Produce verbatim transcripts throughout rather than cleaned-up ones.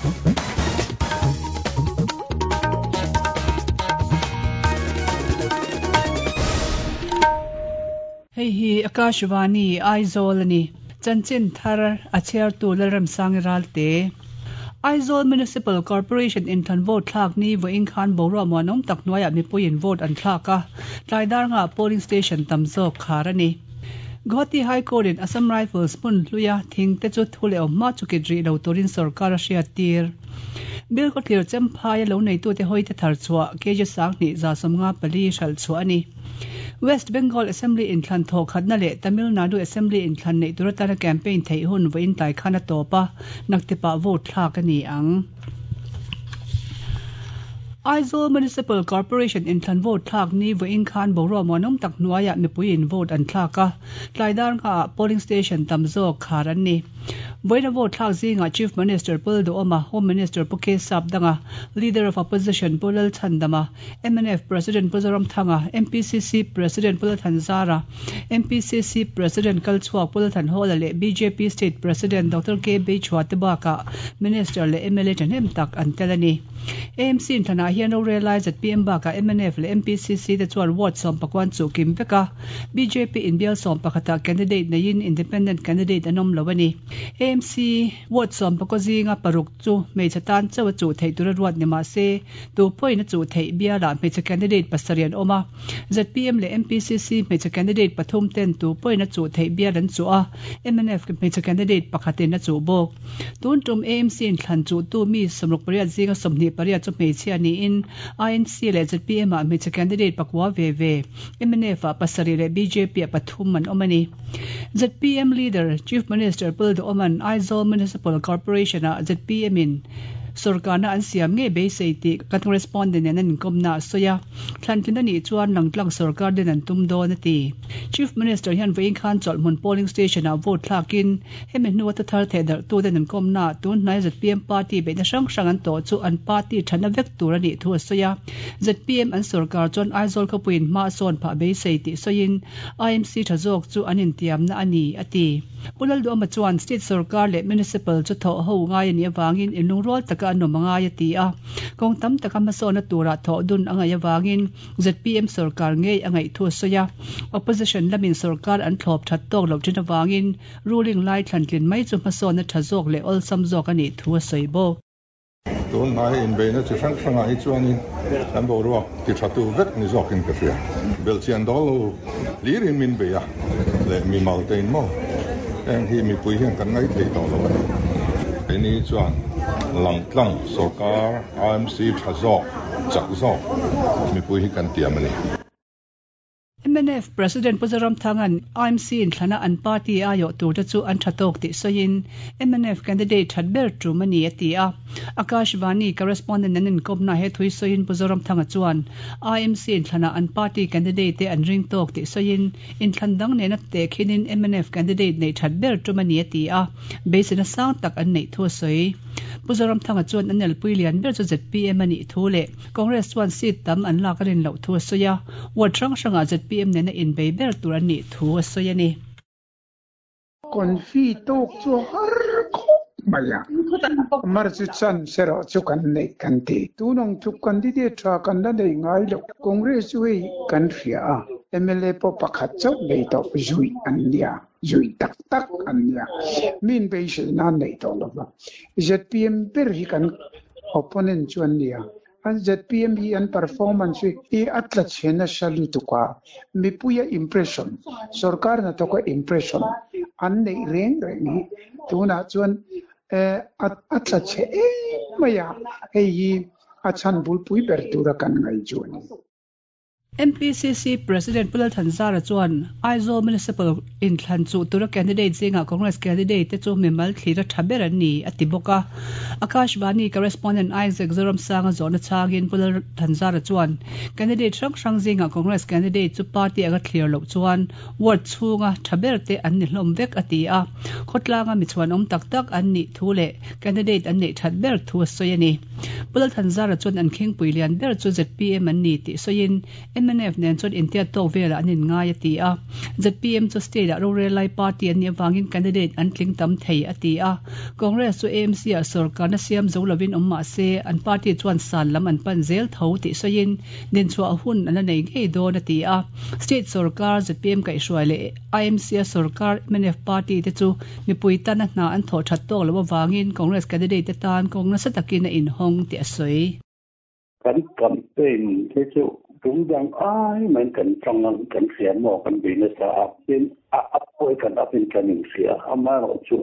Hei hi Akashvani Aizawl ani chanchin thar a chhiar tu Lalramsang Ralte Aizawl Municipal Corporation in than vote thlak ni voin khan boruak muanawm tak hnuaiah mipuiin vote an thlak a tlaidar nga polling station tam zawk khar ani Guwahati High Court in Assam Rifles hmun hluia thing te chu thu leh awm hma chu kit rih lo turin sarkar a hriat tir Bill ko thlir chemphai a lo nei tu te hawi te thar chhuah K G sang hnih za sawmnga pali hral chhuah ani West Bengal Assembly in thlan thaw khatna leh Tamil Nadu Assembly in thlan nei tur atana campaign theih hun vawiin tlai khan a tawp a naktepa vote thlak ani ang Aizawl Municipal Corporation in thlan vote thlak ni vawiin khan boruak muanawm tak hnuaiah mipuiin vote an thlak a tlaidar nga ah polling station tam zawk khar an ni Vawiina vote thlak zingah Chief Minister Pu Duhoma, Home Minister Pu K Sapdanga, Leader of Opposition Pu Lalchhandama, M N F President Pu Zoramthanga, M P C C President Pu Lalthanzara, M P C C President Kalchhuak Pu Lalthanhawla leh B J P State President Doctor K Beichhua te bakah Minister leh M L A thahnem tak an tel ani. A M C in thlanah hian rorel lai Z P M bakah M N F leh M P C C te chuan ward sawm pakuan chu kim vek a B J P in bial sawm pakhata candidate neiin independent candidate an awm lo ani. A M C ward sawm pakua zinga paruk chu hmeichhe tan chauh a chuh theih tur a ruat ni mahse tu pawhin a chuh theih bialah hmeichhe candidate pasarih an awm a Z P M leh M P C C hmeichhe candidate pathum ten tu pawhin a chuh theih bial an chuh a M N F hmeichhe candidate pakhatin a chuh bawk tun tum A M C in thlan chuh tu mi sawmruk pariat zinga sawmhnih pariat chu hmeichhia niin I N C leh Z P M ah hmeichhe candidate pakua ve ve M N F ah pasarih leh B J P ah pathum an awm ani Z P M leader Chief Minister Pu Duhoman Aizawl Municipal Corporation ah Z P M in sarkarna an siam nge beisei tih kan correspondent nen an inkomna a sawi a thlantlin ani chuan langtlang sarkar den an tum dawn a ti Chief Minister hian vawiin khan chawlhhmun polling station ah vote thlakin hemi hnuah ta thar theh darh tu den an komna tun hnai Z P M party beihna hrang hrang an tawh chu an party thana vek tur ani thu a sawi a Z P M an sarkar chuan Aizawl khawpuiin hma sawn phah beisei tih sawiin I M C tha zawk chu an intiamna ani a ti Pu Lalduhoma chuan state sarkar leh municipal chu thaw ho ngai ani awangin inlungrual taka an awm angai a ti a kawng tam taka hmasawn tura thaw dun angai awangin Z P M sarkar ngei angai thu a sawi a opposition lamin sarkar an thlawp that tawk lo thin awangin ruling lai thlantlin mai chu hmasawn a tha zawk leh awlsam zawk ani thu a sawi bawk tun hnai inbeihna chi hrang hrangah hi chuanin kan boruak ti tha tu vek ni zawkin ka hria belchian dawl lo hlirin min bei a leh mi mal te in maw heng hi mipui hian kan ngai thei tawh lo ani keini chuan langtlang sarkar I M C tha zawk chak zawk mipui hi kan tiam ani M N F President Pu Zoramthangan I M C in thlana an party ayo tur te chu an thatawk tih sawiin M N F candidate that ber tum ani a ti a Akashvani correspondent an inkomna he thui sawiin Pu Zoramthanga chuan I M C in thlana an party candidate te an ring tawk tih sawiin in thlan dang nena te khinin M N F candidate nei that ber tum ani a ti a beiseina sang tak an nei thu a sawi Pu Zoramthanga chuan an elpui lian ber chu Z P M ani thu leh Congress chuan seat tam an lak a rin loh thu a sawi a ward hrang hrangah Z P M nena in bei ber tur ani thu a sawi ani Konfi tok chu har khop maya mar chu chan sero chu kan nei kan ti tunong chu candidate tha kan la nei ngai lo Congress wi kan hria a M L A po pakhat chau nei to zui an nia zui tak tak an nia min be se na nei to lo Z P M ber hi kan opponent chuan nia an Z P M hi an performance hi atla chhena salu tuka mipuia impression sarkar na toka impression an nei reng reng hi tuna chuan atla che e maya hei hi a chan bul pui ber tura kan ngai chuan M P C C President Pu Lalthanzara chuan Aizawl Municipal in thlan chu tura candidate zinga Congress candidate te chu mimal thlira tha ber an ni a ti bawk a Akashvani correspondent Isaac Zoramsanga zawhna changin Pu Lalthanzara chuan candidate hrang hrang zinga Congress candidate chu party anga thlir loh chuan ward chhunga tha ber te an ni hlawm vek a ti a khawtlanga mi chuan awm tak tak an nih thu leh candidate an nei that ber thu a sawi ani Pu Lalthanzara chuan an khingpui lian ber chu Z P M an ni tih sawiin M N F nen chuan intiat tawk velah an inngai a ti a. Z P M chu state ah rorel lai party an nih avangin candidate an tling tam thei a ti a. Congress chu A M C ah sarkarna siam zo lovin awm mah se an party chuan san lam an pan zel tho tih sawiin dinchhuah hun an la nei ngei dawn a ti a. State sarkar Z P M kaihhruai leh I M C a sarkar M N F party te chu mipui tana hna an thawh that tawk lo avangin Congress candidate te tan kawng nasa takin a inhawng tih a sawi. Kan campaign te chu tungdang ai mai kan tang kan hria maw kan bei nasa a tin a up pawh kan up in kan inhria amaherawh chu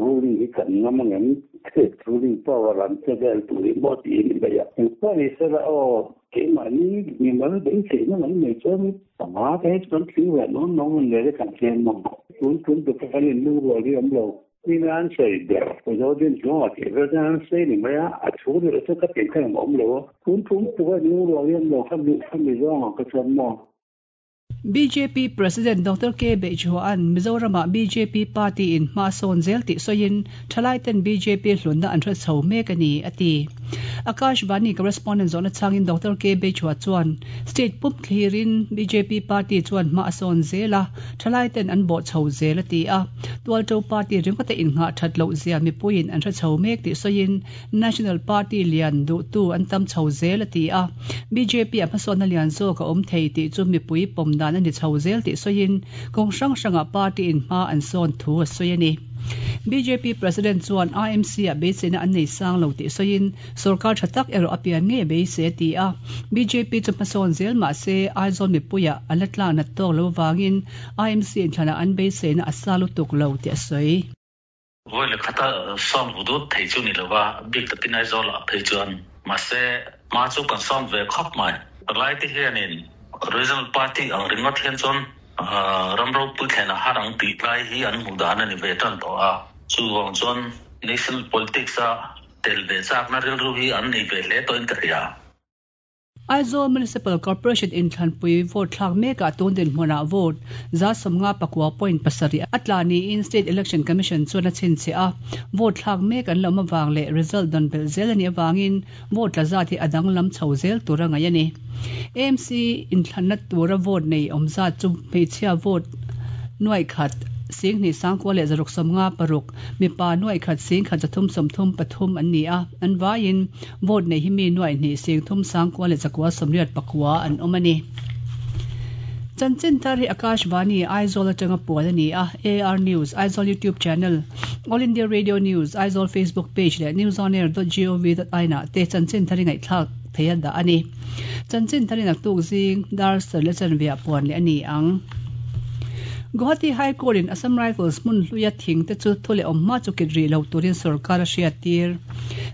ruling hi kan ngam angem state ruling power an che vel tur hi maw tiin ni mai a. Engpawh ni sela aw keimahni mimal beiseina mai mai chuan panga te hi chu kan thling ve nawn nawn ang leh kan hliam ang. Tun tun tuk kan inlung rual hi awm lo. Min an sawi ber Zodin chungah tih vel chuan an sawi ni mai a, a thu leh chu ka tih kha engmah awm lo a. Tun tum tuk a inlung rual hi awm lo kha mi kha mi zawngah ka chuan maw. B J P President Doctor K Beichhua'n Mizoramah B J P party in hma sawn zel tih sawiin thalaiten B J P hlunna an hre chho mek a ni, a ti. Akashvani correspondent zawhna changin Doctor K Beichhua chuan state pum thlirin B J P party chuan hma a sawn zel a, thalaiten an bawh chho zel a ti a. Tualto party ringawta innghah that loh zia mipuiin an hre chho mek tih sawiin National Party lian duhtu an tam chho zel a ti a. B J P a hmasawnna lian zawk a awm thei tih chu mipui pawm dan a ni chho zel tih sawiin kawng hrang hrangah party in hma an sawn thu a sawi a ni. B J P President chuan I M C ah beiseina an nei sang lo tih sawiin sarkar tha tak erawh a pian ngei beisei a ti a. B J P chu hmasawn zel mah se Aizawl mipuiah an la tlang nat tawk lo avangin I M C inthlanah an beiseina a sa lutuk lo tih a sawi. Vawi leh khata sawn vudut thei chu ni lova bik takin Aizawl ah phei chuan mahse hma chu kan sawn ve khawp mai. Lai te hianin Regional Party ang ringawt hian chuan ram ropui thlen a har ang tih lai hi an hmuh dan a ni ve tan tawh a. Chuvang chuan national politics a tel ve chakna rilru hi an nei ve hle tawhin ka hria. Aizawl Municipal Corporation inthlanpui vote thlak mekah tun dinhmunah vote za sawmnga pakua point pasarih a tla niin State Election Commission chuan a chhinchhiah a. Vote thlak mek an lo awm avang leh result dawn belh zel a nih avangin vote tla zat hi a danglam chho zel tur a ngaih a ni. A M C inthlanna tura vote nei awm zat chu hmeichhia vote nuai khat sing hnih sangkua leh zaruk sawmnga paruk mipa nuai khat sing khat zathum sawmthum pathum an ni a. An vaiin vote nei hi mi nuai hnih sing thum sangkua leh zakua sawmriat pakua an awm a ni. Chanchin thar hi Akashvani Aizawl atanga puan a ni a. A R News, Aizawl YouTube channel, All India Radio News, Aizawl Facebook page leh newsonair dot gov dot in ah te chanchin thar hi ngaihthlak thei a dah a ni. Chanchin thar hi naktuk zing dar sarih leh chanve ah puan leh a ni ang. Guwahati High Court in Assam Rifles hmun hluia thing te chu thu leh awm hma chu kit rih lo turin sarkar a hriat tir.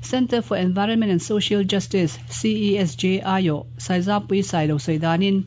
Centre for Environment and Social Justice, C E S J I O, Saizapui Sai lo sawi danin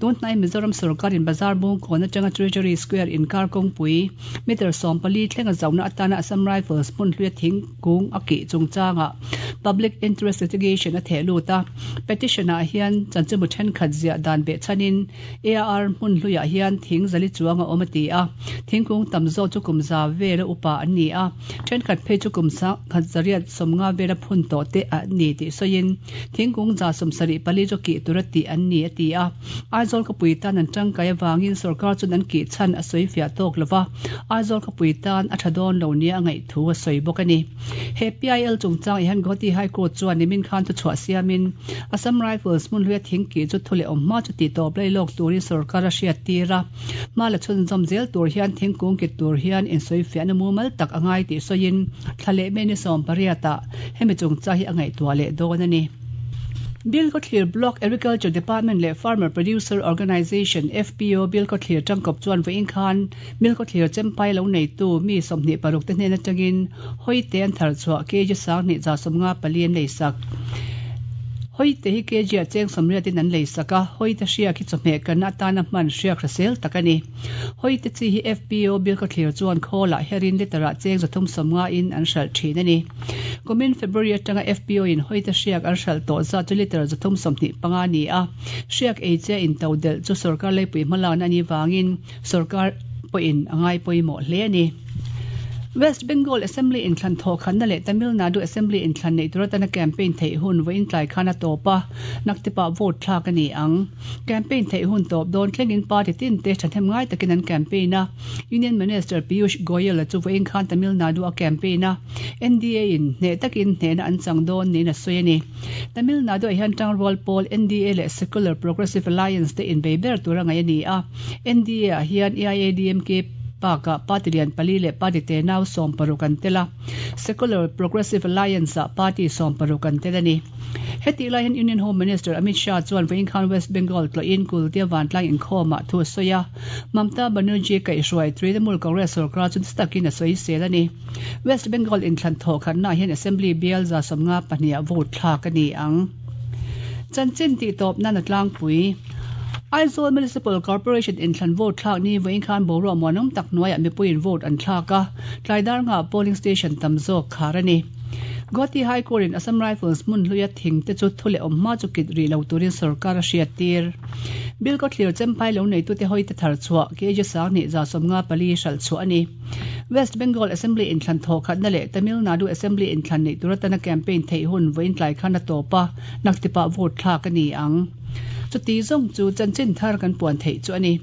tunhnai Mizoram sarkar in Bazar Bungkawn atanga Treasury Square inkar kawngpui meter sawm pali thlenga zauna atana Assam Rifles hmun hluia thing kung a kih chungchangah Public Interest Litigation a theh lut a. Petition ah hian chanchimu thenkhat ziah dan beh chanin A R hmun hluiah hian thing zali chuang a awm a ti a. Thingkung tam zawk chu kum za vela upa an ni a. Thenkhat phei chu kum khat zariat sawmnga vela phun tawh te an ni tih sawiin thingkung za sawm sarih pali chu kih tur a tih an ni a ti a. Aizawl khawpui tan an tangkai avangin sarkar chuan an kih chhan a sawi fiah tawk lova. Aizawl khawpui tan a tha dawn lo nia a ngaih thu a sawi bawk a ni. He P I L chungchang hian Guwahati High Court chuan nimin khan thu chhuah siamin Assam Rifles hmun hluia thing kih chu thu leh awm hma chu tih tawp lai lawk turin sarkar a hriat tir a. Hma la chhun zawm zel tur hian thingkung kit tur hian insawi fiahna mumal tak a ngai tih sawiin thla leh mei ni sawm pariat ah hemi chungchang hi a ngaihtuah leh dawn a ni. Bilkhawthlir Block Agriculture Department leh Farmer Producer Organisation, F P O, Bilkhawthlir tangkawp chuan vawiin khan Bilkhawthlir chempai lo neitu mi sawmhnih paruk te hnen atangin hawi te an thar chhuah K G sanghnih za sawmnga pali an lei sak. Hawi te hi K G ah cheng sawmriatin an lei sak a, hawi te hriak hi chawhmeh kanna atana hman hriak hrisel tak a ni. Hawi te chi hi F P O Bilkhawthlir chuan khawlah herin liter ah cheng zathum sawmnga in an hralh thin a ni. Kumin February atanga F P O in hawi te hriak an hralh tawh zat chu liter zathum sawmhnih panga ni a. Hriak ei che in to delh chu sarkar leipui hmalakna a ni vangin sarkar pawhin a ngai pawimawh hle a ni. West Bengal Assembly inthlan thaw khanna leh Tamil Nadu Assembly inthlan nei tura tana campaign theih hun vawiin tlai khan a tawp a, naktipa vote thlak a ni ang. Campaign theih hun tawp dawn thlengin party tin te thahnem ngai takin an campaign a. Union Minister Piyush Goyal chu vawiin khan Tamil Nadu a campaign a. N D A in hne takin hnehna an chang dawn niin a sawi a ni. Tamil Nadu ah hian Tangrual Pawl N D A leh Secular Progressive Alliance te inbei ber tura ngai a ni a. N D A ah hian A I A D M K Paka party lian pali leh party te nau sawm paruk an tel a. Secular Progressive Alliance ah party sawm paruk an tel a ni. Heti lai hian Union Home Minister Amit Shah chuan vawiin khan West Bengal tlawhin Kultia Vantlang inkhawmah thu a sawi a. Mamta Banerjee kaihhruai Trinamool Congress sarkar chu nasa takin a sawi sel a ni. West Bengal inthlan thaw khatnaah hian Assembly bial za sawmnga pahnih ah vote thlak a ni ang. Chanchin tih tawp nan a tlangpui. Aizawl Municipal Corporation inthlan vote thlak ni vawiin khan boruak muanawm tak hnuaiah mipuiin vote an thlak a, tlai dar nga polling station tam zawk khar a ni. Guwahati High Court in Assam Rifles hmun hluia thing te chu thu leh awm hma chu kit ri lo turin sarkar a hriat tir. Bill ko thlir chempai lo nei tu te hoi te thar chhuah kg sang ni za sawmnga pali hral chu ani. West Bengal Assembly inthlan thaw khatna leh Tamil Nadu Assembly inthlan nei tura tana campaign theih hun vawiin tlai khan a tawp a, naktipa vote thlak a ni ang. Chuti zawng chu chanchin thar kan puan theih chu ani.